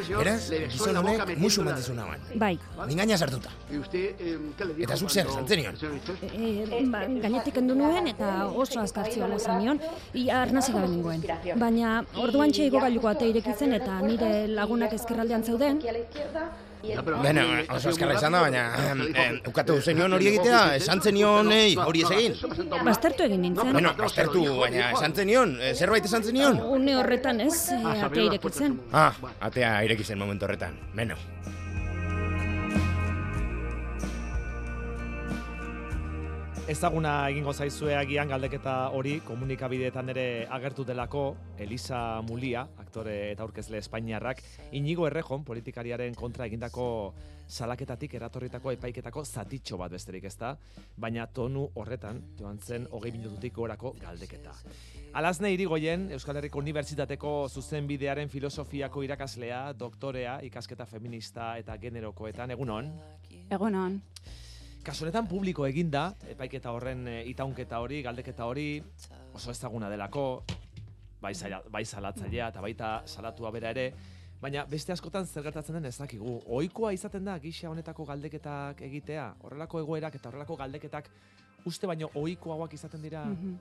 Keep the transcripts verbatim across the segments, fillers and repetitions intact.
Beraz, gizon honek musu mantizuna ban. Bai. Mingaina sartuta. Eta zuk zer, esan zenion? E, ba, gainetik kendu nuen eta oso azkartzioa zenion, ia arnazik gabe nengoen. Baina orduan txeiko gailuko ate irekitzen eta nire lagunak ezkerraldean zeuden. Beno, oso azkarra izan da, baina eh, ukatu zenion hori egitea, esan zenion hori ez egin. Baztertu egin nintzen. Beno, baztertu, baina esan zenion, zerbait esan zenion? Une horretan ez, e, atea irekitzen. Ah, atea irekitzen momentu horretan, beno. Ezaguna egingo zaizue agian galdeketa hori komunikabideetan ere agertu delako Elisa Mulia, aktore eta aurkezle espainiarrak, Inigo Errejon politikariaren kontra egindako salaketatik eratorritako epaiketako zatitxo bat besterik ezta, baina tonu horretan joan zen hogei minututik gorako galdeketa. Alazne Irigoyen, Euskal Herriko Unibertsitateko zuzenbidearen filosofiako irakaslea, doktorea, ikasketa feminista eta generokoetan, egunon? Egunon. Kasu honetan publiko eginda, epaiketa horren e, itaunketa hori, galdeketa hori, oso ezaguna delako, bai, zala, bai salatzailea eta baita salatua bera ere, baina beste askotan zer gertatzen den ez dakigu. Ohikoa izaten da gisa honetako galdeketak egitea, horrelako egoerak eta horrelako galdeketak uste baino ohikoagoak izaten dira mm-hmm.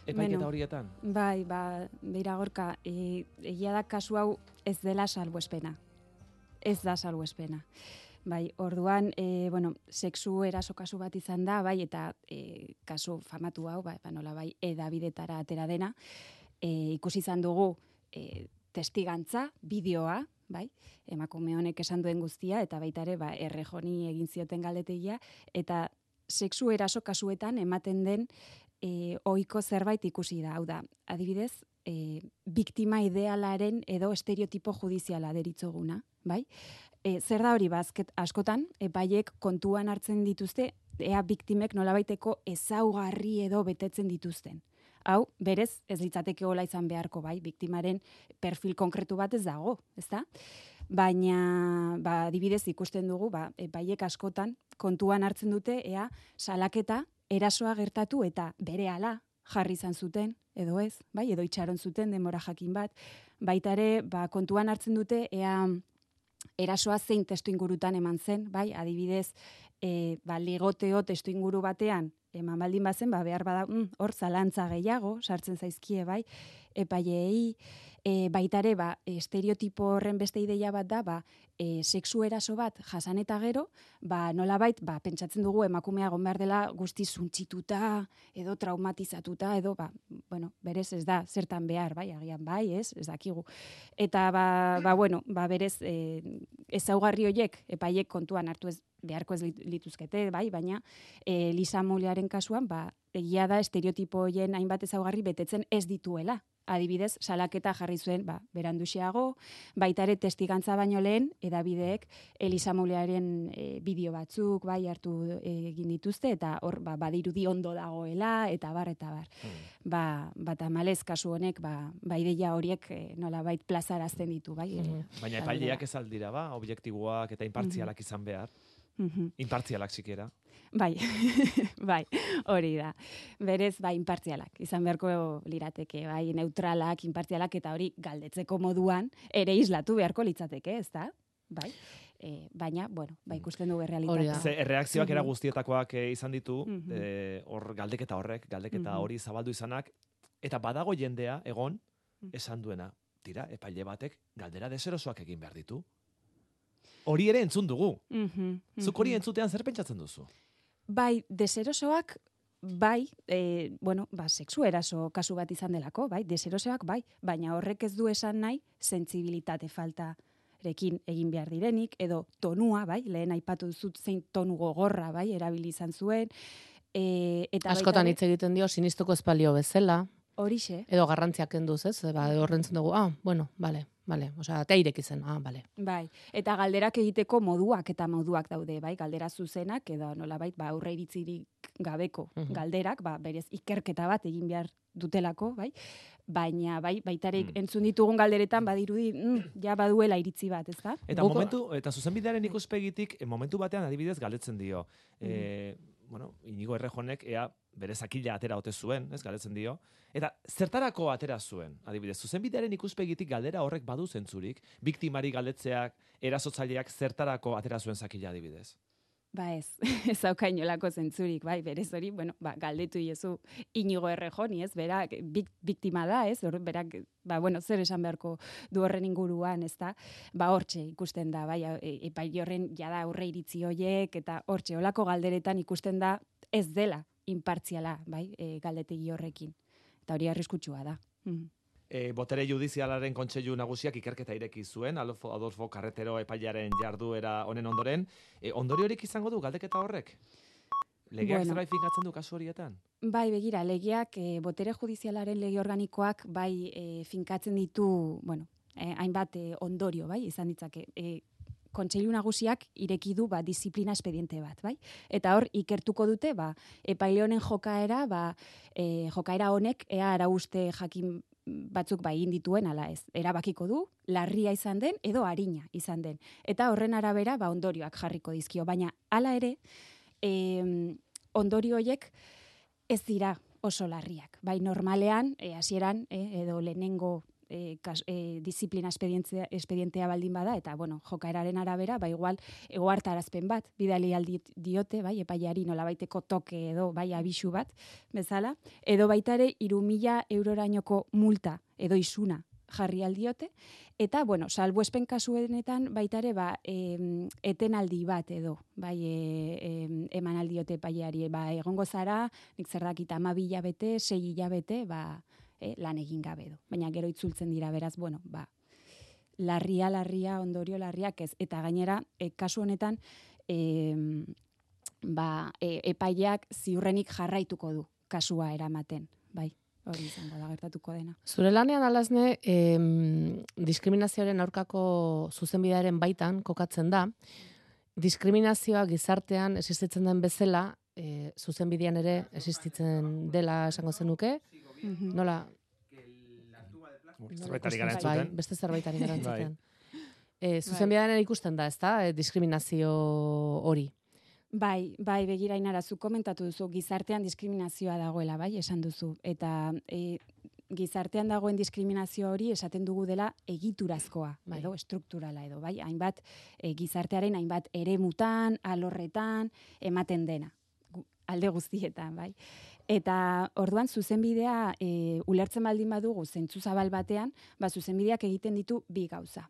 epaiketa bueno, horietan. Bai, ba, beira Gorka, e, egia da kasu hau ez dela salbuespena. Ez da salbuespena. Bai, orduan, e, bueno, sexu eraso kasu bat izan da, bai, eta e, kasu famatu hau, bai, nola bai, edabidetara atera dena, e, ikusi izan dugu e, testigantza, bideoa, bai, emakume honek esan duen guztia, eta baita ere, ba, Errejoni egin zioten galdetegia, eta sexu eraso kasuetan ematen den e, ohiko zerbait ikusi da, hau da, adibidez, e, biktima idealaren edo estereotipo judiziala deritzoguna, bai? E, zer da hori bazket askotan, epaiek kontuan hartzen dituzte, ea biktimek nolabaiteko ezaugarri edo betetzen dituzten. Hau, berez, ez litzateke hola izan beharko, bai, biktimaren perfil konkretu bat ez dago, ezta? Baina, ba, adibidez ikusten dugu, ba, epaiek askotan kontuan hartzen dute, ea salaketa erasoa gertatu eta berehala jarri izan zuten, edo ez, bai, edo itxaron zuten denbora jakin bat, baita ere, ba, kontuan hartzen dute, ea erasoa zein testu ingurutan eman zen, bai, adibidez, e, ba, ligoteo testu inguru batean, eman baldin bazen, ba, behar bada, mm, hor zalantza gehiago, sartzen zaizkie, bai, epaileei, e, baita ere, ba, estereotipo horren beste ideia bat da, ba, e, sexu eraso bat jasan eta gero, ba, nolabait, ba, pentsatzen dugu emakumea egon behar dela guzti zuntzituta, edo traumatizatuta, edo, ba, bueno, berez ez da, zertan behar, bai, agian bai, ez, ez dakigu. Eta, ba, ba bueno, ba, berez, e, ezaugarri horiek, epaiek kontuan hartu ez, beharko ez lituzkete, bai, baina e, Elisa Muliaren kasuan, ba, egia da estereotipo horien hainbat ezaugarri betetzen ez dituela. Adibidez, salaketa jarri zuen, ba, beranduxeago, baita ere testigantza baino lehen, edabideek Elisa Muliaren e, bideo batzuk, bai, hartu egin dituzte, eta hor, ba, badirudi ondo dagoela, eta bar, eta bar. Mm. Ba, ba, tamalez kasu honek, ba, ba ideia horiek e, nolabait plazarazten ditu, bai. Mm. E, Baina epaileak ez aldira, ba, objektiboak eta inpartzialak mm-hmm. izan behar. Mm-hmm. Inpartzialak sikiera. Bai, bai, hori da. Berez, bai, inpartzialak. Izan beharko lirateke, bai, neutralak, inpartzialak, eta hori galdetzeko moduan ere islatu beharko litzateke, ez da? Bai. E, baina, bueno, bai, ikusten dugu errealitatea. Ze, erreakzioak era guztietakoak eh, izan ditu, mm-hmm. eh, hor galdeketa horrek, galdeketa mm-hmm. hori zabaldu izanak, eta badago jendea, egon, esan duena, tira, epaile batek galdera deserosoak egin behar ditu. Hori ere entzun dugu. Mm-hmm. Zuk hori entzutean zer pentsatzen duzu? Bai, deserosoak, bai, e, bueno, ba, sexu eraso kasu bat izan delako, bai, deserosoak, bai, baina horrek ez du esan nahi, sentsibilitate faltarekin egin behar direnik, edo tonua, bai, lehen aipatu duzut zein tonu gogorra, bai, erabili izan zuen. E, eta askotan hitz egiten dio, sinistuko espalio bezala. Horixe. Edo garrantziak kenduz, ez? Ba, horrentzen dugu, ah, bueno, bale. Vale, osea, teirek izen, ah, vale. Bai, eta galderak egiteko moduak eta moduak daude, bai, galdera zuzenak, edo nolabait, ba, aurre iritzirik gabeko uh-huh. galderak, ba, berez ikerketa bat egin behar dutelako, bai, baina, bai, baitarik mm. entzun ditugun galderetan, badirudi, mm, ja baduela iritzi bat, ez da? Eta Buko... momentu, eta zuzenbidearen ikuspegitik, momentu batean adibidez galdetzen dio, mm. e, bueno, Inigo Errejonek, ea, bere zakila atera ote zuen, ez galetzen dio, eta zertarako atera zuen, adibidez, zuzenbidearen ikuspegitik galdera horrek badu zentzurik, biktimari galdetzeak, erasotzaileak zertarako atera zuen zakila adibidez. Ba ez, ez hauka inolako zentzurik, bai, berez hori, bueno, ba, galdetu iezu Inigo Errejoni, ez, berak, bik, biktima da, ez, hor, berak, ba, bueno, zer esan beharko du horren inguruan, ez da, ba, hortxe ikusten da, bai, epai horren jada aurre iritzi hoiek, eta hortxe, olako galderetan ikusten da, ez dela inpartziala, bai, e, galdetegi horrekin, eta hori arriskutsua da. Mm. E, botere judizialaren kontseilu nagusiak ikerketa ireki zuen, Adolfo, Adolfo Carretero epailearen jarduera honen ondoren. E, ondoriorik izango du galdeketa horrek? Legeak bueno, zerbait finkatzen du kasu horietan? Bai, begira, legeak, e, botere judizialaren lege organikoak bai e, finkatzen ditu, bueno, e, hainbat e, ondorio, bai, izan ditzake. E, Kontseilu nagusiak ireki du ba, disiplina espediente bat, bai? Eta hor, ikertuko dute, ba, epaile honen jokaera, ba, e, jokaera honek, ea arauste jakin batzuk bai indituen, ala ez, erabakiko du, larria izan den, edo arina izan den. Eta horren arabera, ba, ondorioak jarriko dizkio. Baina, hala ere, e, ondorio horiek ez dira oso larriak. Bai, normalean, e, hasieran, e, edo lehenengo E, kas, e, disiplina espedientea, espedientea baldin bada, eta, bueno, jokaeraren arabera, ba, igual, egoartarazpen bat, bidali aldi diote, bai, epaiari nolabaiteko toke edo, bai, abisu bat, bezala, edo baitare, iru mila eurorainoko multa, edo isuna, jarri aldiote, eta, bueno, salbuespen kasuenetan, baitare, ba, e, etenaldi bat, edo, bai, e, e, eman aldiote epaiari, ba, egongo zara, nik zer dakit, ama hilabete, sei hilabete, ba, E, lan egin gabe du. Baina gero itzultzen dira, beraz, bueno, ba, larria, larria, ondorio larriak ez. Eta gainera, e, kasu honetan, e, ba, e, epaileak ziurrenik jarraituko du kasua eramaten, bai, hori izango da gertatuko dena. Zure lanean alazne, em, diskriminazioaren aurkako zuzenbidearen baitan kokatzen da, diskriminazioa gizartean existitzen den bezala, e, zuzenbidean ere existitzen dela esango zenuke, nola? Zerbaitari gara entzuten. Bai, beste zerbaitari gara entzuten. E, zuzenbidean ere ikusten da, ez da, e, diskriminazio hori. Bai, bai, begira Ainara, zu komentatu duzu, gizartean diskriminazioa dagoela, bai, esan duzu. Eta e, gizartean dagoen diskriminazio hori esaten dugu dela egiturazkoa, bai, edo estrukturala edo, bai, hainbat e, gizartearen hainbat eremutan, alorretan, ematen dena, alde guztietan, bai. Eta orduan zuzenbidea e, ulertzen baldin badugu zentzu zabal batean, ba zuzenbideak egiten ditu bi gauza.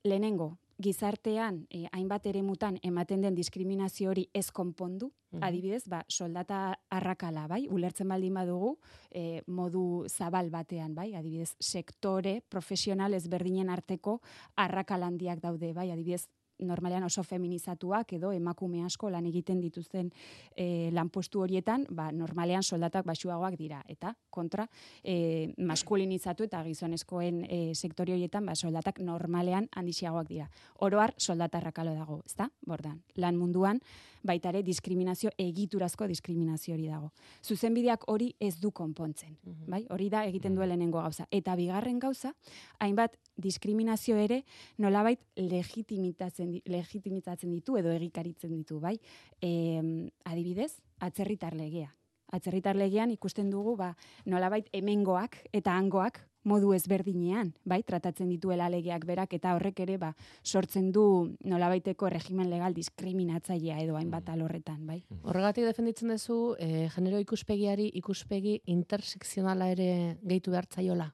Lehenengo, gizartean e, hainbat eremutan ematen den diskriminazio hori ez konpondu, mm-hmm. adibidez, ba, soldata arrakala, bai, ulertzen baldin badugu e, modu zabal batean, bai, adibidez, sektore profesional ezberdinen arteko arrakala handiak daude, bai, adibidez, normalean oso feminizatuak edo emakume asko lan egiten dituzten e, lanpostu horietan, ba, normalean soldatak baxuagoak dira. Eta kontra, e, maskulinizatu eta gizonezkoen e, sektore horietan, ba, soldatak normalean handixiagoak dira. Oroar soldata arrakalo dago, ezta? Bordan, lan munduan baitare diskriminazio, egiturazko diskriminazio hori dago. Zuzenbideak hori ez du konpontzen, mm-hmm. bai? Hori da egiten duen lehenengo gauza. Eta bigarren gauza, hainbat diskriminazio ere nolabait legitimitatzen, legitimitatzen ditu edo egikaritzen ditu, bai? E, adibidez, atzerritar legea. Atzerritar legean ikusten dugu, ba, nolabait hemengoak eta hangoak modu ezberdinean, bai, tratatzen dituela legeak berak, eta horrek ere, ba, sortzen du nolabaiteko regimen legal diskriminatzailea edo hainbat alorretan, bai. Horregatik defenditzen duzu, eh, genero ikuspegiari ikuspegi intersekzionala ere gehitu behartzaiola?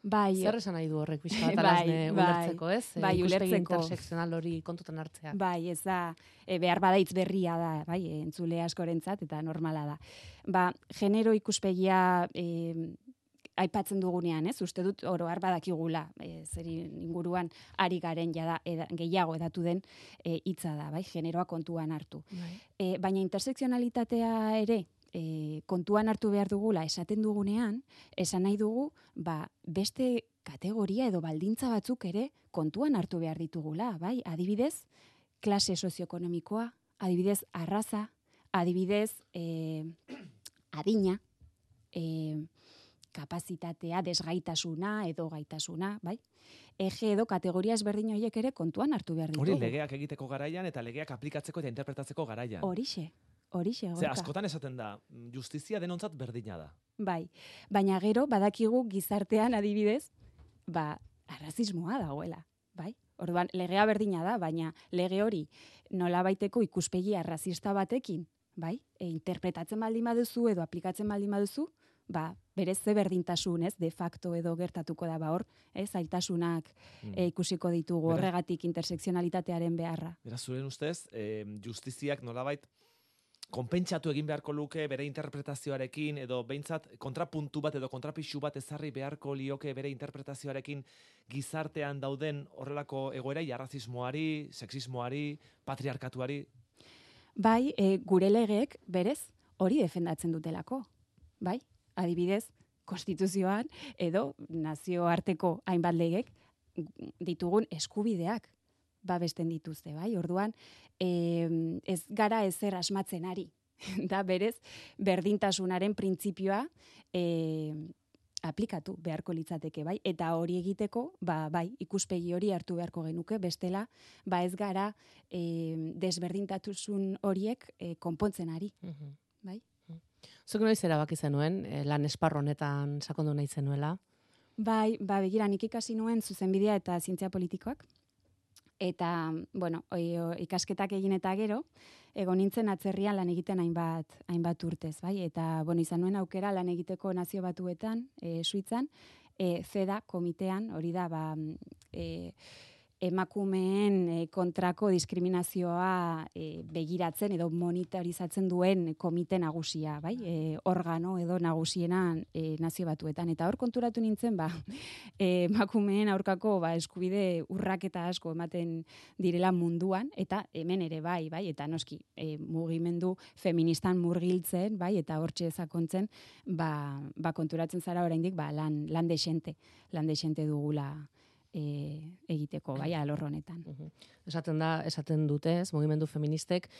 Bai. Zer esan nahi du horrek bizka bat alazne bai, ulertzeko, ez? Bai, e, ulertzeko. intersekzional hori kontutan hartzea. Bai, ez da, e, behar badaitz berria da, bai, entzule askorentzat eta normala da. Ba, genero ikuspegia e, aipatzen dugunean, ez? Uste dut oro har badakigula, e, zeri inguruan ari garen jada eda, gehiago edatu den hitza e, da, bai, generoa kontuan hartu. Bai. E, baina intersekzionalitatea ere E, kontuan hartu behar dugula esaten dugunean, esan nahi dugu, ba, beste kategoria edo baldintza batzuk ere kontuan hartu behar ditugula, bai? Adibidez, klase sozioekonomikoa, adibidez, arraza, adibidez, e, adina, e, kapazitatea, desgaitasuna edo gaitasuna, bai? Ege edo kategoria ezberdin horiek ere kontuan hartu behar ditugu. Hori legeak egiteko garaian eta legeak aplikatzeko eta interpretatzeko garaian. Horixe. Horixe, Gorka. Ze askotan esaten da, justizia denontzat berdina da. Bai, baina gero badakigu gizartean adibidez, ba, arrazismoa dagoela, bai? Orduan, legea berdina da, baina lege hori nolabaiteko ikuspegi arrazista batekin, bai? E, interpretatzen baldin baduzu edo aplikatzen baldin baduzu, ba, berez ze berdintasun, ez, de facto edo gertatuko da, ba, hor, ez, zailtasunak mm. e, ikusiko ditugu Beraz, horregatik intersekzionalitatearen beharra. Beraz, zuren ustez, eh, justiziak nolabait konpentsatu egin beharko luke bere interpretazioarekin, edo behintzat kontrapuntu bat edo kontrapixu bat ezarri beharko lioke bere interpretazioarekin gizartean dauden horrelako egoerai, arrazismoari, sexismoari, patriarkatuari? Bai, e, gure legeek berez hori defendatzen dutelako, bai? Adibidez, konstituzioan edo nazioarteko hainbat legek ditugun eskubideak babesten dituzte, bai? Orduan, e, ez gara ezer asmatzen ari. Da berez, berdintasunaren printzipioa e, aplikatu beharko litzateke, bai? Eta hori egiteko, ba, bai, ikuspegi hori hartu beharko genuke, bestela, ba ez gara e, desberdintasun horiek e, konpontzen ari, Mhm. bai? Zuk noiz erabaki zenuen, eh, lan esparru honetan sakondu nahi zenuela? Bai, ba, begira, nik ikasi nuen zuzenbidea eta zientzia politikoak. Eta, bueno, oi, o, ikasketak egin eta gero, egon nintzen atzerrian lan egiten hainbat, hainbat urtez, bai? Eta, bueno, izan nuen aukera lan egiteko Nazio Batuetan, e, Suitzan, e, CEDA komitean, hori da, ba, e, emakumeen e, kontrako diskriminazioa e, begiratzen edo monitorizatzen duen komite nagusia, bai? E, organo edo nagusiena e, Nazio Batuetan. Eta hor konturatu nintzen, ba, e, emakumeen aurkako ba, eskubide urraketa asko ematen direla munduan, eta hemen ere bai, bai? Eta noski, e, mugimendu feministan murgiltzen, bai? Eta hortxe sakontzen, ba, ba, konturatzen zara oraindik ba, lan, lan desente, lan desente dugula E, egiteko, bai, alor honetan. Uh-huh. Esaten da, esaten dute, ez, mugimendu feministek,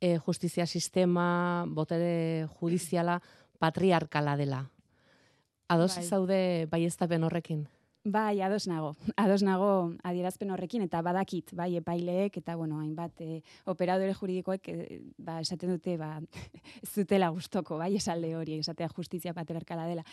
e, justizia sistema, botere judiziala, patriarkala dela. Ados Bai. zaude baieztapen horrekin? Bai, ados nago. Ados nago adierazpen horrekin, eta badakit, bai, epaileek, eta, bueno, hainbat, e, operadore juridikoek, e, ba, esaten dute, ba, ez dutela gustoko, bai, esalde hori, esatea justizia patriarkala dela.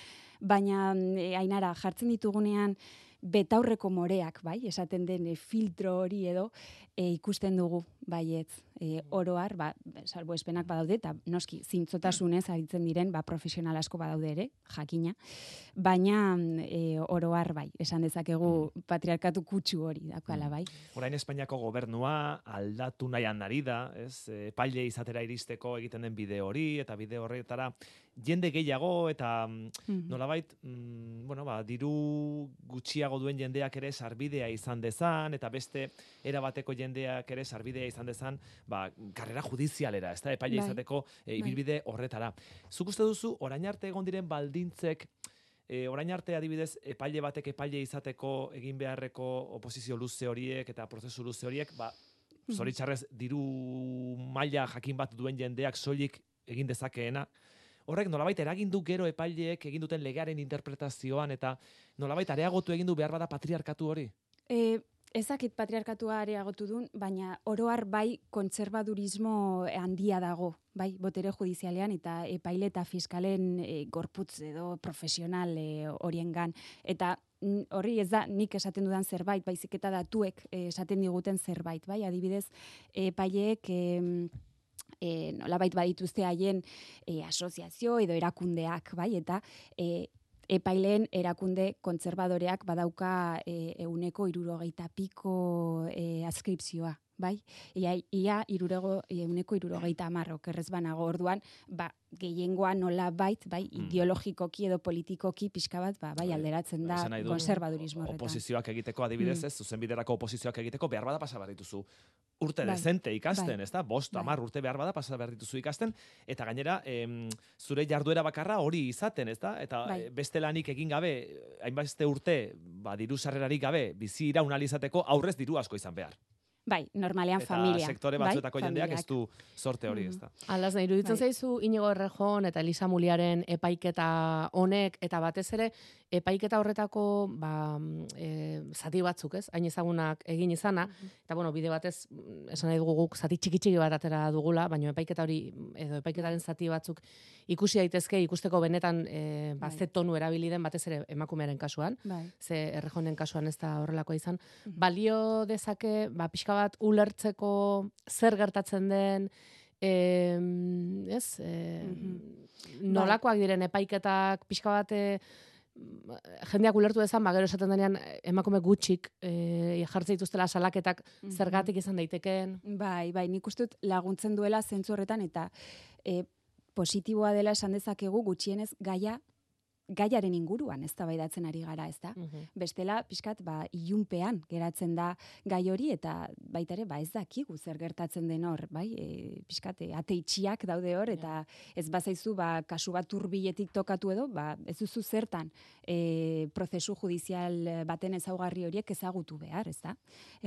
Baina, e, Ainara, jartzen ditugunean, betaurreko moreak, bai, esaten den e, filtro hori edo, e, ikusten dugu, baietz, e, oroar, ba, salbuespenak badaude, eta noski, zintzotasunez aritzen diren, ba, profesional asko badaude ere, jakina, baina e, oroar, bai, esan dezakegu patriarkatu kutsu hori, dakala, bai. Orain Espainiako gobernua aldatu nahian ari da, ez? Epaile izatera iristeko egiten den bide hori, eta bide horretara jende gehiago, eta mm. nolabait, mm, bueno, ba, diru gutxiago duen jendeak ere sarbidea izan dezan, eta beste erabateko jendeak ere sarbidea izan dezan, ba, karrera judizialera, ez da, epaile Bai. izateko e, ibilbide horretara. Zuk uste duzu, orain arte egon diren baldintzek, e, orain arte adibidez, epaile batek epaile izateko egin beharreko oposizio luze horiek eta prozesu luze horiek, ba, zoritxarrez diru maila jakin bat duen jendeak soilik egin dezakeena, horrek nolabait eragin du gero epaileek egin duten legearen interpretazioan eta nolabait areagotu egin du behar bada patriarkatu hori? E, ezakit patriarkatua areagotu duen, baina oroar bai kontserbadurismo handia dago, bai, botere judizialean eta epaile eta fiskalen e, gorputz edo profesional e, horiengan. Eta horri ez da nik esaten dudan zerbait, baizik eta datuek e, esaten diguten zerbait, bai, adibidez, epaileek e, E, nolabait badituzte haien e, asoziazio edo erakundeak, bai, eta e, epaileen erakunde kontserbadoreak badauka e, euneko irurogeita piko e, askripzioa, bai? Ia, ia irurego, euneko irurogeita amarro, kerrez banago orduan, ba, gehiengoa nola bait, bai, mm. ideologikoki edo politikoki pixka bat, ba, bai, alderatzen da konservadurismo horretan. Oposizioak egiteko adibidez, mm. ez, zuzenbiderako oposizioak egiteko behar bada pasa behar dituzu urte bai. dezente ikasten, bai. ez da? Bost, bai. amar urte behar bada pasa behar dituzu ikasten, eta gainera, em, zure jarduera bakarra hori izaten, ez da? Eta bai. beste lanik egin gabe, hainbeste urte, ba, diru sarrerarik gabe, bizi iraun alizateko aurrez diru asko izan behar. Bai, normalean eta familia. Eta sektore batzuetako bai? jendeak ez du sorte hori, mm-hmm. ez da. Alaz, nahi, iruditzen bai. zaizu Inigo Errejon eta Elisa Muliaren epaiketa honek, eta batez ere, epaiketa horretako ba, e, zati batzuk, ez? Hain ezagunak egin izana, mm-hmm. eta bueno, bide batez, esan nahi dugu guk, zati txiki-txiki bat atera dugula, baina epaiketa hori, edo epaiketaren zati batzuk ikusi daitezke, ikusteko benetan e, ba, bai. ze tonu erabili den batez ere emakumearen kasuan, bai. ze Errejonen kasuan ez da horrelakoa izan. Mm-hmm. Balio dezake, ba, pixka bat ulertzeko zer gertatzen den, eh, ez, eh, mm-hmm. nolakoak diren epaiketak, pixka bat eh, jendeak ulertu dezan, ba, gero esaten denean emakume gutxik eh, jartzen dituztela salaketak mm-hmm. zergatik izan daitekeen. Bai, bai, nik uste dut laguntzen duela zentzu horretan, eta eh, positiboa dela esan dezakegu gutxienez gaia gaiaren inguruan eztabaidatzen ari gara, ez da? Uh-huh. Bestela, pixkat, ba, ilunpean geratzen da gai hori, eta baita ere, ba, ez dakigu zer gertatzen den hor, bai? E, pixkat, ate itxiak daude hor, eta ez bazaizu, ba, kasu bat hurbiletik tokatu edo, ba, ez duzu zertan e, prozesu judizial baten ezaugarri horiek ezagutu behar, ez da?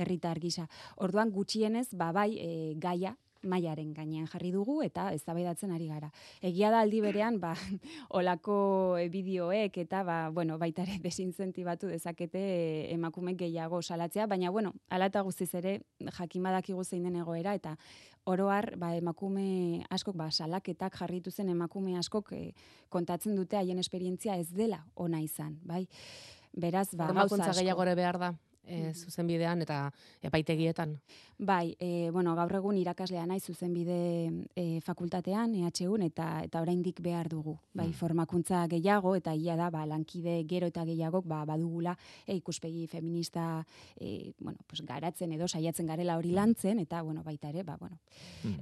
Herritar gisa. Orduan, gutxienez, ba, bai, e, gaia, mailaren gainean jarri dugu eta eztabaidatzen ari gara. Egia da aldi berean, ba, olako bideoek eta ba, bueno, baita ere desinzentibatu dezakete emakume gehiago salatzea, baina bueno, hala eta guztiz ere jakin badakigu zein den egoera eta oro har, ba, emakume askok, ba, salaketak jarritu zen emakume askok eh, kontatzen dute haien esperientzia ez dela ona izan, bai? Beraz, ba, gauza gehiago ere behar da. E, zuzenbidean eta epaitegietan. Bai, e, bueno, gaur egun irakaslea naiz zuzenbide e, fakultatean, E H Un, eta eta oraindik behar dugu. Bai, formakuntza gehiago, eta ia da, ba, lankide gero eta gehiagok ba, badugula e, ikuspegi feminista e, bueno, pues, garatzen edo saiatzen garela hori lantzen, eta bueno, baita ere, ba, bueno,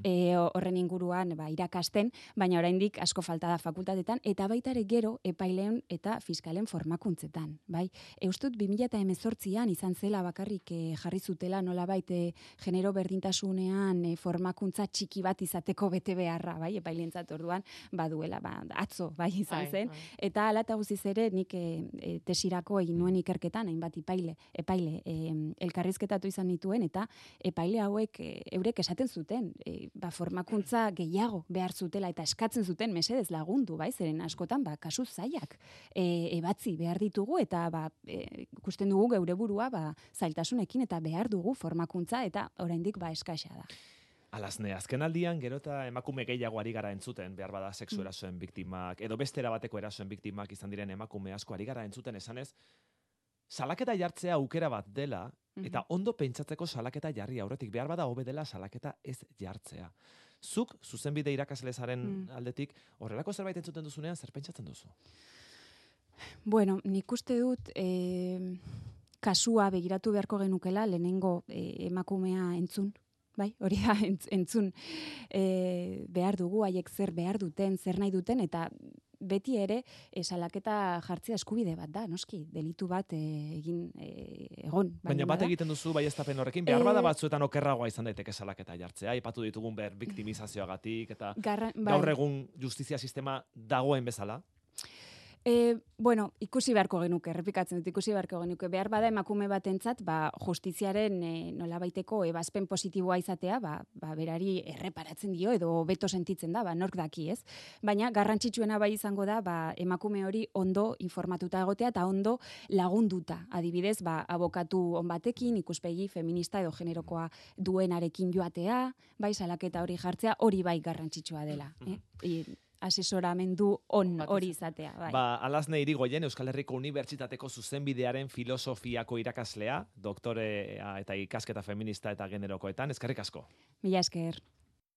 e, horren inguruan ba, irakasten, baina oraindik asko falta da fakultatetan, eta baita ere gero epaileen eta fiskalen formakuntzetan. Bai, eustut bi mila hemezortzian izan zela bakarrik eh, jarri zutela nolabait eh, genero berdintasunean eh, formakuntza txiki bat izateko bete beharra, bai, epailentzat orduan baduela, ba, atzo, bai, izan zen. Ai, ai. Eta hala eta guztiz ere nik eh, tesirako egin nuen ikerketan, hainbat epaile, epaile eh, elkarrizketatu izan nituen, eta epaile hauek eh, eurek esaten zuten, eh, ba, formakuntza gehiago behar zutela, eta eskatzen zuten mesedez lagundu, bai, zeren askotan, ba, kasu zaiak eh, ebatzi behar ditugu, eta ba, eh, ikusten dugu geure burua, ba, zailtasunekin eta behar dugu formakuntza eta oraindik ba eskaxa da. Alazne, azken aldian gero eta emakume gehiago ari gara entzuten, behar bada sexu erasoen biktimak, edo beste erabateko erasoen biktimak izan diren emakume asko ari gara entzuten esanez, salaketa jartzea aukera bat dela, eta ondo pentsatzeko salaketa jarri aurretik, behar bada hobe dela salaketa ez jartzea. Zuk, zuzenbide irakaslezaren mm. aldetik, horrelako zerbait entzuten duzunean, zer pentsatzen duzu? Bueno, nik uste dut... Eh... kasua begiratu beharko genukela lehenengo e, emakumea entzun, bai, hori da entzun e, behar dugu, haiek zer behar duten, zer nahi duten, eta beti ere salaketa jartzea eskubide bat da, noski, delitu bat e, egin e, egon. Baina bat egiten duzu baieztapen horrekin, behar bada batzuetan okerragoa izan daiteke salaketa jartzea, aipatu ditugun ber biktimizazioagatik, eta Garra, bai. gaur egun justizia sistema dagoen bezala? E, bueno, ikusi beharko genuke, errepikatzen dut, ikusi beharko genuke. Behar bada emakume batentzat, ba, justiziaren e, nolabaiteko ebazpen positiboa izatea, ba, ba, berari erreparatzen dio edo beto sentitzen da, ba, nork daki, ez? Baina garrantzitsuena bai izango da, ba, emakume hori ondo informatuta egotea eta ondo lagunduta. Adibidez, ba, abokatu on batekin, ikuspegi feminista edo generokoa duenarekin joatea, bai, salaketa hori jartzea, hori bai garrantzitsua dela. Eh? I, asesoramendu on hori izatea. Bai. Ba, Alazne Irigoyen, Euskal Herriko Unibertsitateko zuzenbidearen filosofiako irakaslea, doktorea eta ikasketa feminista eta generokoetan, eskerrik asko. Mila esker.